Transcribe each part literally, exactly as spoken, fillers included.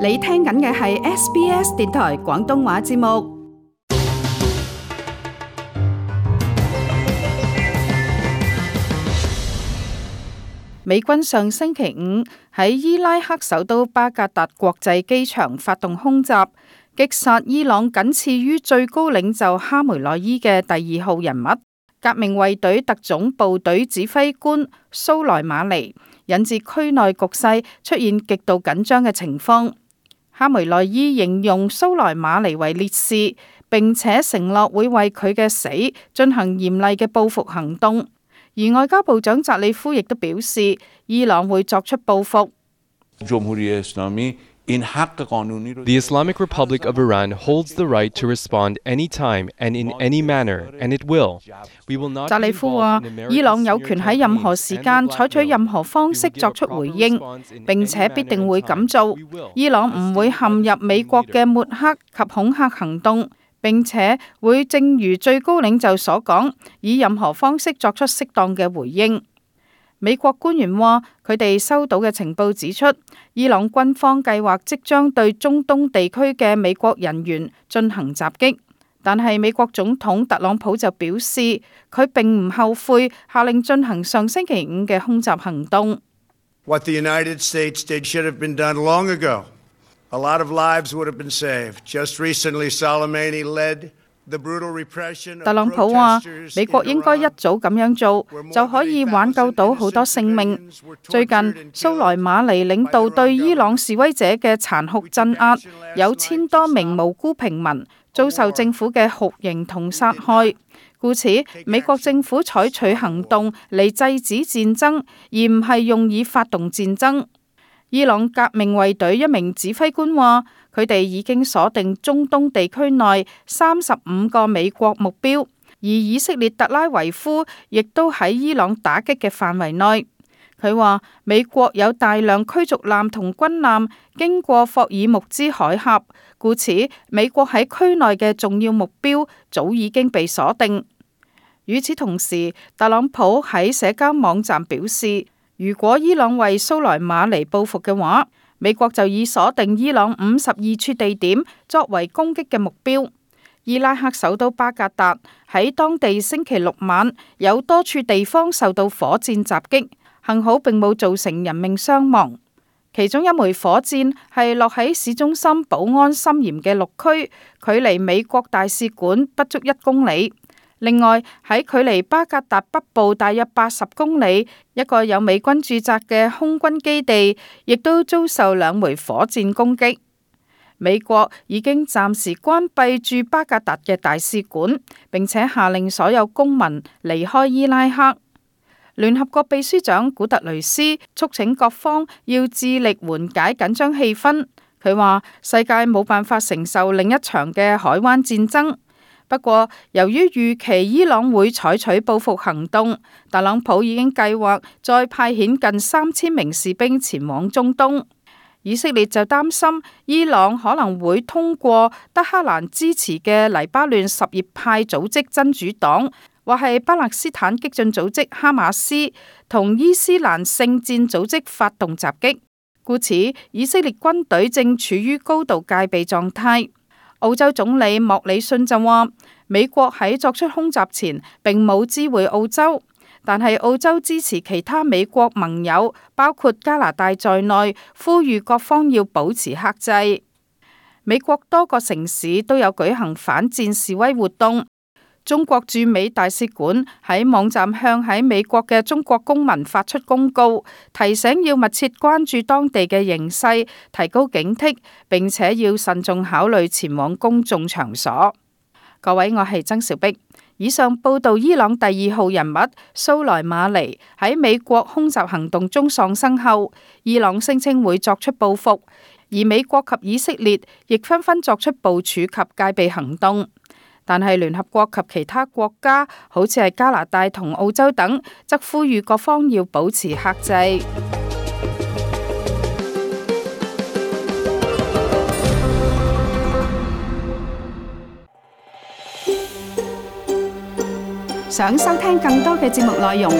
你聽緊嘅係 S B S 電台廣東話節目。美軍上星期五喺伊拉克首都巴格達國際機場發動空襲，擊殺伊朗僅次於最高領袖哈梅內伊嘅第二號人物，革命衛隊特種部隊指揮官蘇萊馬尼，引致區內局勢出現極度緊張嘅情況。哈梅內伊形容蘇萊馬尼為烈士，並且承諾會為佢嘅死進行嚴厲嘅報復行動。而外交部長扎里夫亦都表示，伊朗會作出報復。The Islamic Republic of Iran holds the right to respond anytime and in any manner, and it will. We will not. 扎里夫話，伊朗有權喺任何時間採取任何方式作出回應，並且必定會咁做。伊朗唔會陷入美國嘅抹黑及恐嚇行動，並且會正如最高領袖所講，以任何方式作出適當嘅回應。美國官員話，佢哋收到嘅情報指出，伊朗軍方計劃即將對中東地區嘅美國人員進行襲擊，但係美國總統特朗普就表示，佢並唔後悔下令進行上星期五嘅空襲行動。What the United States did should have been done long ago. A lot of lives would have been saved. Just recently, Soleimani led the brutal repression of protesters. 特朗普話，美國應該一早咁樣做，就可以挽救到好多性命。最近，蘇萊馬尼領導對伊朗示威者嘅殘酷鎮壓，有千多名無辜平民遭受政府嘅酷刑同殺害。故此，美國政府採取行動嚟制止戰爭，而唔係用以發動戰爭。伊朗革命衛隊一名指揮官話，佢哋已經鎖定中東地區內三十五個美國目標，而以色列特拉維夫亦都喺伊朗打擊嘅範圍內。佢話，美國有大量驅逐艦同軍艦經過霍爾木茲海峽，故此美國喺區內嘅重要目標早已經被鎖定。與此同時，特朗普喺社交網站表示，如果伊朗為蘇萊馬尼報復嘅話，美國就已鎖定伊朗五十二處地點作為攻擊嘅目標。伊拉克首都巴格達喺當地星期六晚有多處地方受到火箭襲擊，幸好並冇造成人命傷亡。其中一枚火箭係落喺市中心保安森嚴嘅綠區，距離美國大使館不足一公里。另外喺距離巴格達北部大約八十公里，一個有美軍駐紮嘅空軍基地，亦都遭受兩枚火箭攻擊。美國已經暫時關閉駐巴格達嘅大使館，並且下令所有公民離開伊拉克。聯合國秘書長古特雷斯促請各方要致力緩解緊張氣氛。佢話，世界冇辦法承受另一場嘅海灣戰爭。不過，由於預期伊朗會採取報復行動，特朗普已經計劃再派遣近三千名士兵前往中東。以色列就擔心伊朗可能會通過德黑蘭支持嘅黎巴嫩什葉派組織真主黨，或係巴勒斯坦激進組織哈馬斯同伊斯蘭聖戰組織發動襲擊。故此，以色列軍隊正處於高度戒備狀態。澳洲總理莫里遜就話，美國喺作出空襲前並冇知會澳洲，但係澳洲支持其他美國盟友，包括加拿大在內，呼籲各方要保持克制。美國多個城市都有舉行反戰示威活動。中國駐美大使館喺網站向喺美國嘅中國公民發出公告，提醒要密切關注當地嘅形勢，提高警惕，並且要慎重考慮前往公眾場所。各位，我係曾兆碧。以上報道伊朗第二號人物蘇萊馬尼喺美國空襲行動中喪生後，伊朗聲稱會作出報復，而美國及以色列亦紛紛作出部署及戒備行動。但係聯合國及其他國家，好似係加拿大同澳洲等，則呼籲各方要保持克制。想收聽更多嘅節目內容，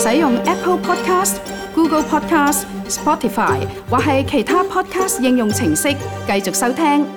使用 Apple Podcast、Google Podcast、Spotify 或係其他 Podcast 應用程式繼續收聽。